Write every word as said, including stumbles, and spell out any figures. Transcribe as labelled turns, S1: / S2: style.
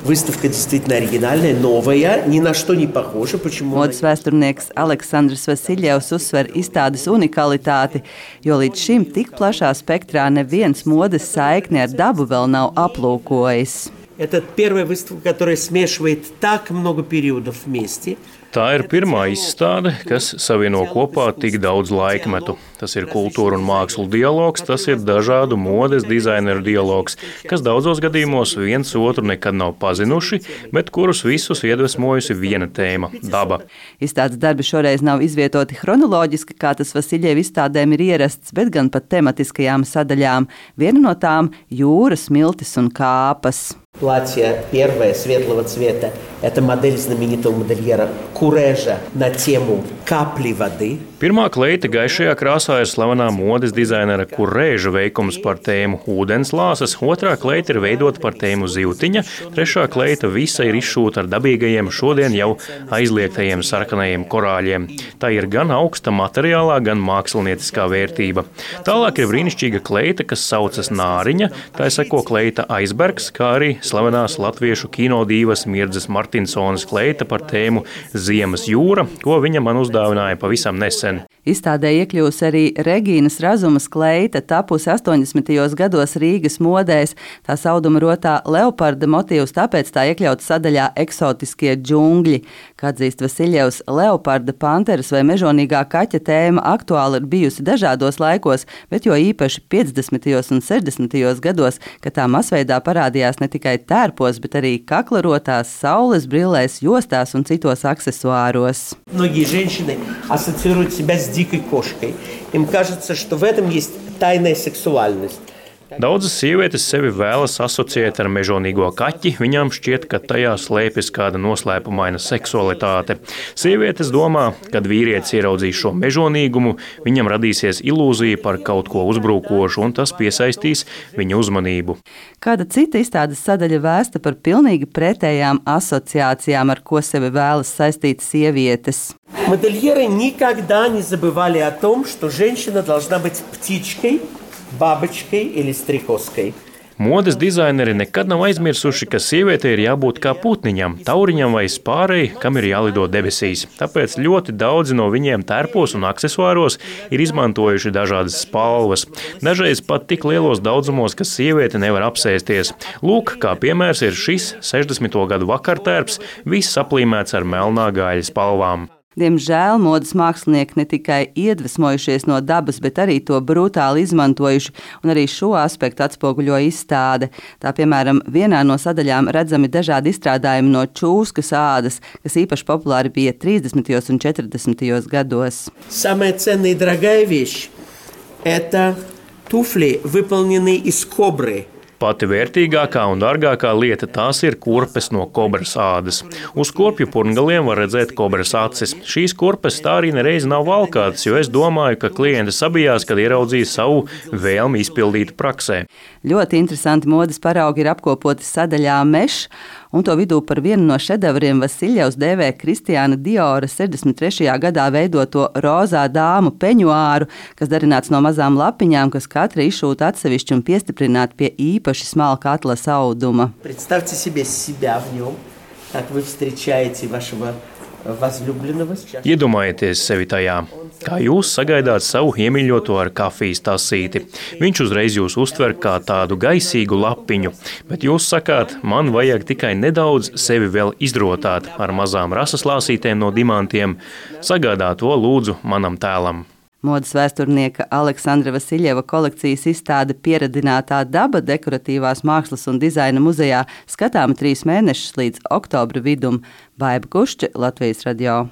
S1: Выставка действительно оригинальная, новая, ни на что не похожа. Почему?
S2: Modes vēsturnieks Aleksandrs Vasiljevs uzsver izstādes unikalitāti, jo līdz šim tik plašā spektrā neviens modes saikni ar dabu vēl nav aplūkojis.
S1: Это первая выставка, которая смешивает так много периодов вместе.
S3: Tā ir pirmā izstāde, kas savieno kopā tik daudz laikmetu. Tas ir kultūra un mākslu dialogs, tas ir dažādu modes dizaineru dialogs, kas daudzos gadījumos viens otru nekad nav pazinuši, bet kurus visus iedvesmojusi viena tēma – daba.
S2: Izstādes darbi šoreiz nav izvietoti chronoloģiski, kā tas Vasiljeva izstādēm ir ierasts, bet gan pat tematiskajām sadaļām. Viena no tām – jūra, smiltis un kāpas.
S1: Платье первое, светлого цвета, это модель знаменитого модельера Курежа на тему капли воды.
S3: Pirmā kleita gaišajā krāsā ir slavenā modes dizainera Kurēža veikums par tēmu ūdenslāses, otrā kleita ir veidota par tēmu zivtiņa, trešā kleita visa ir izšūta ar dabīgajiem šodien jau aizliegtajiem sarkanajiem korāļiem. Tā ir gan augsta materiālā, gan mākslinieciskā vērtība. Tālāk ir brīnišķīga kleita, kas saucas Nāriņa, tā seko kleita Aizbergs, kā arī slavenās latviešu kinodīvas Mirdzes Martinsonas kleita par tēmu Ziemas jūra, ko viņa man uzdāvināja pavisam nesen.
S2: Izstādē iekļūs arī Regīnas Razumas kleita, tapusi astoņdesmitajos gados Rīgas modēs. Tā sauduma rotā leoparda motīvs, tāpēc tā iekļauts sadaļā eksotiskie džungļi. Kā atzīst Vasiljevs, leoparda, panteras vai mežonīgā kaķa tēma aktuāli ir bijusi dažādos laikos, bet jo īpaši piecdesmitajos un sešdesmitajos gados, kad tā masveidā parādījās ne tikai tērpos, bet arī kaklarotās, saules brillēs, jostās un citos aksesuāros.
S1: Многие женщины ассоциируют себя с дикой кошкой. Им кажется, что в этом есть тайная сексуальность.
S3: Daudzas sievietes sevi vēlas asociēt ar mežonīgo kaķi, viņām šķiet, ka tajā slēpjas kāda noslēpumaina seksualitāte. Sievietes domā, kad vīrietis ieraudzīs šo mežonīgumu, viņam radīsies ilūzija par kaut ko uzbrukošu, un tas piesaistīs viņa uzmanību.
S2: Kāda cita izstādes sadaļa vēsta par pilnīgi pretējām asociācijām, ar ko sevi vēlas saistīt sievietes.
S1: Модельеры никогда не забывали о том, что женщина должна быть птичкой, бабочкой или стрекозкой.
S3: Modes dizaineri nekad nav aizmirsuši, ka sievietei ir jābūt kā putniņam, tauriņam vai spārei, kam ir jālido debesīs. Tāpēc ļoti daudzi no viņiem tērpos un aksesuāros ir izmantojuši dažādas spalvas. Dažreiz pat tik lielos daudzumos, ka sieviete nevar apsēsties. Lūk, kā piemērs ir šis sešdesmito gadu vakartērps, viss aplīmēts ar melnā gaļa spalvām.
S2: Diemžēl modes mākslinieki ne tikai iedvesmojušies no dabas, bet arī to brutāli izmantojuši, un arī šo aspektu atspoguļo izstāde. Tā, piemēram, vienā no sadaļām redzami dažādi izstrādājumi no čūskas ādas, kas īpaši populāri bija trīsdesmitajos un četrdesmitajos gados.
S1: Самая ценная и дорогая вещь – это туфли, выполненные из кобры.
S3: Pati vērtīgākā un dārgākā lieta tās ir kurpes no kobras ādas. Uz kurpju purngaliem var redzēt kobras acis. Šīs kurpes tā arī nereiz nav valkātas, jo es domāju, ka klienti sabijās, kad ieraudzīja savu vēlmi izpildīt praksē.
S2: Ļoti interesanti modes paraugi ir apkopoti sadaļā Mešs, un to vidū par vienu no šedevriem Vasiljevs dēvē Kristiāna Diora sešdesmit trešajā gadā veidoto rozā dāmu peņuāru, kas darināts no mazām lapiņām, kas katra izšūta atsevišķi un piestiprināta pie īpaši smalka atlas auduma.
S1: Представьте себе себя в нем, как вы встречаете вашего возлюбленного.
S3: Iedomājieties sevi tajā, kā jūs sagaidāt savu iemīļoto ar kafijas tasīti. Viņš uzreiz jūs uztver kā tādu gaisīgu lapiņu, bet jūs sakāt, man vajag tikai nedaudz sevi vēl izdrotāt ar mazām rasaslāsītēm no dimantiem. Sagādā to lūdzu manam tēlam.
S2: Modes vēsturnieka Aleksandra Vasiljeva kolekcijas izstāde Pieradinātā daba dekoratīvās mākslas un dizaina muzejā skatāma trīs mēnešus līdz oktobra vidum. Baiba Kušķe, Latvijas radio.